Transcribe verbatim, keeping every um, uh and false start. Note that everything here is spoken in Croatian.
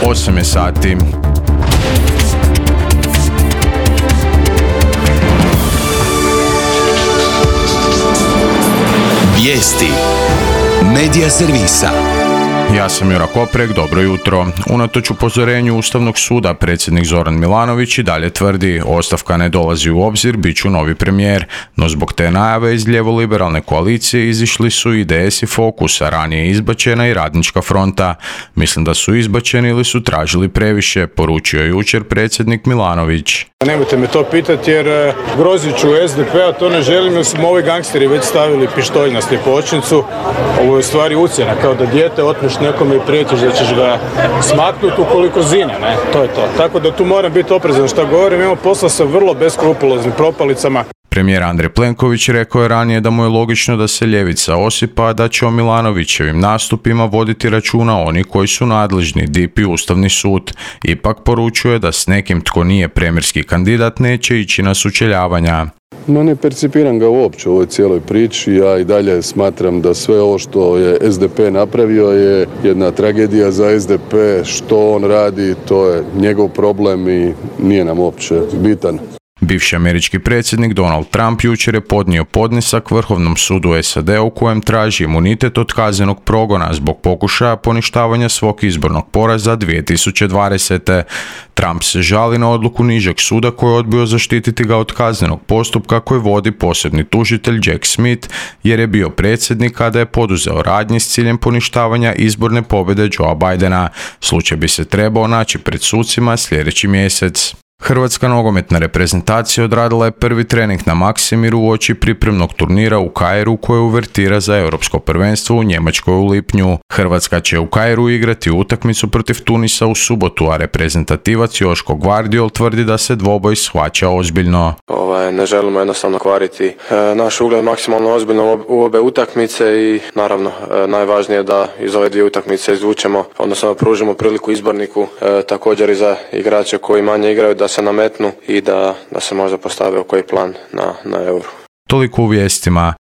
osam je sati. Vijesti Medija servisa. Ja sam Jura Koprek, dobro jutro. Unatoč upozorenju Ustavnog suda, predsjednik Zoran Milanović i dalje tvrdi ostavka ne dolazi u obzir, bit ću novi premijer, no zbog te najave iz lijevo-liberalne koalicije izišli su i D S i Fokus, a ranije izbačena i Radnička fronta. Mislim da su izbačeni ili su tražili previše, poručio je jučer predsjednik Milanović. Nemojte me to pitati jer grozit ću S D P, a to ne želim jer smo ovi gangsteri već stavili pištolj na sljepočnicu. Ovo je u stvari ucjena, kao da dijete otmeš nekome i prijetiš da ćeš ga smaknuti ukoliko zine, ne? To je to. Tako da tu moram biti oprezan šta govorim, imamo posla sa vrlo beskrupuloznim propalicama. Premijer Andrej Plenković rekao je ranije da mu je logično da se ljevica osipa, a da će o Milanovićevim nastupima voditi računa oni koji su nadležni, D I P i Ustavni sud. Ipak poručuje da s nekim tko nije premijerski kandidat neće ići na sučeljavanja. Ma ne percipiram ga uopće u ovoj cijeloj priči, ja i dalje smatram da sve ovo što je S D P napravio je jedna tragedija za S D P, što on radi to je njegov problem i nije nam uopće bitan. Bivši američki predsjednik Donald Trump jučer je podnio podnesak Vrhovnom sudu S A D u kojem traži imunitet od kaznenog progona zbog pokušaja poništavanja svog izbornog poraza dvije tisuće dvadesete. Trump se žali na odluku nižeg suda koji je odbio zaštititi ga od kaznenog postupka koji vodi posebni tužitelj Jack Smith jer je bio predsjednik kada je poduzeo radnje s ciljem poništavanja izborne pobjede Joea Bidena. Slučaj bi se trebao naći pred sucima sljedeći mjesec. Hrvatska nogometna reprezentacija odradila je prvi trening na Maksimiru uoči pripremnog turnira u Kairu koje uvertira za europsko prvenstvo u Njemačkoj u lipnju. Hrvatska će u Kairu igrati utakmicu protiv Tunisa u subotu, a reprezentativac Joško Gvardiol tvrdi da se dvoboj shvaća ozbiljno. Ovaj, ne želimo jednostavno kvariti e, naš ugled maksimalno ozbiljno u obe utakmice i naravno e, najvažnije je da iz ove dvije utakmice izvučemo, odnosno pružimo priliku izborniku e, također i za igrače koji manje igraju da se nametnu i da, da se možda postave u koji plan na, na Euro. Toliko u vijestima.